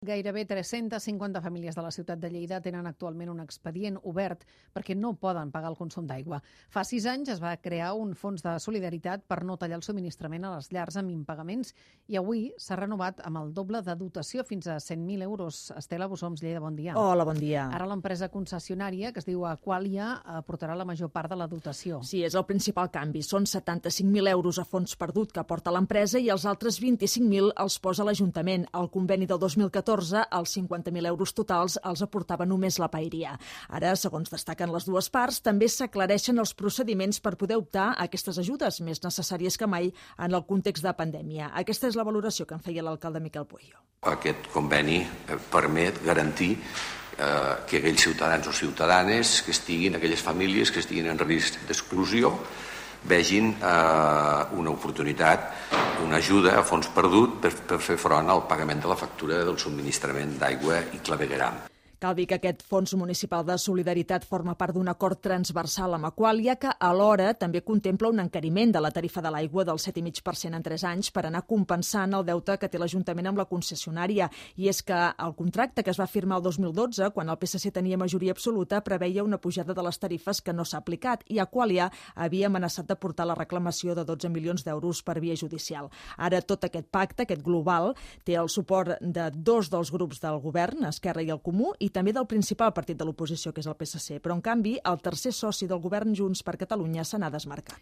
Gairebé 350 famílies de la ciutat de Lleida tenen actualment un expedient obert perquè no poden pagar el consum d'aigua. Fa 6 anys es va crear un fons de solidaritat per no tallar el subministrament a les llars amb impagaments i avui s'ha renovat amb el doble de dotació fins a 100.000 euros. Estela Bussoms, Lleida, bon dia. Hola, bon dia. Ara l'empresa concessionària, que es diu Aqualia, aportarà la major part de la dotació. Sí, és el principal canvi. Són 75.000 euros a fons perdut que aporta l'empresa i els altres 25.000 els posa l'Ajuntament. El conveni del 2014, els 50.000 euros totals els aportava només la Paeria. Ara, segons destaquen les dues parts, també s'aclareixen els procediments per poder optar a aquestes ajudes, més necessàries que mai en el context de pandèmia. Aquesta és la valoració que en feia l'alcalde Miquel Pueyo. Aquest conveni permet garantir que aquells ciutadans o ciutadanes que estiguin, aquelles famílies que estiguin en risc d'exclusió, vegin una oportunitat, una ajuda a fons perdut per fer front al pagament de la factura del subministrament d'aigua i clavegueram. Cal dir que aquest Fons Municipal de Solidaritat forma part d'un acord transversal amb Aqualia que alhora també contempla un encariment de la tarifa de l'aigua del 7,5% en 3 anys per anar compensant el deute que té l'Ajuntament amb la concessionària. I és que el contracte que es va firmar el 2012, quan el PSC tenia majoria absoluta, preveia una pujada de les tarifes que no s'ha aplicat i Aqualia havia amenaçat de portar la reclamació de 12 milions d'euros per via judicial. Ara tot aquest pacte, aquest global, té el suport de 2 dels grups del govern, Esquerra i el Comú, i també del principal partit de l'oposició, que és el PSC. Però, en canvi, el tercer soci del govern, Junts per Catalunya, se n'ha desmarcat.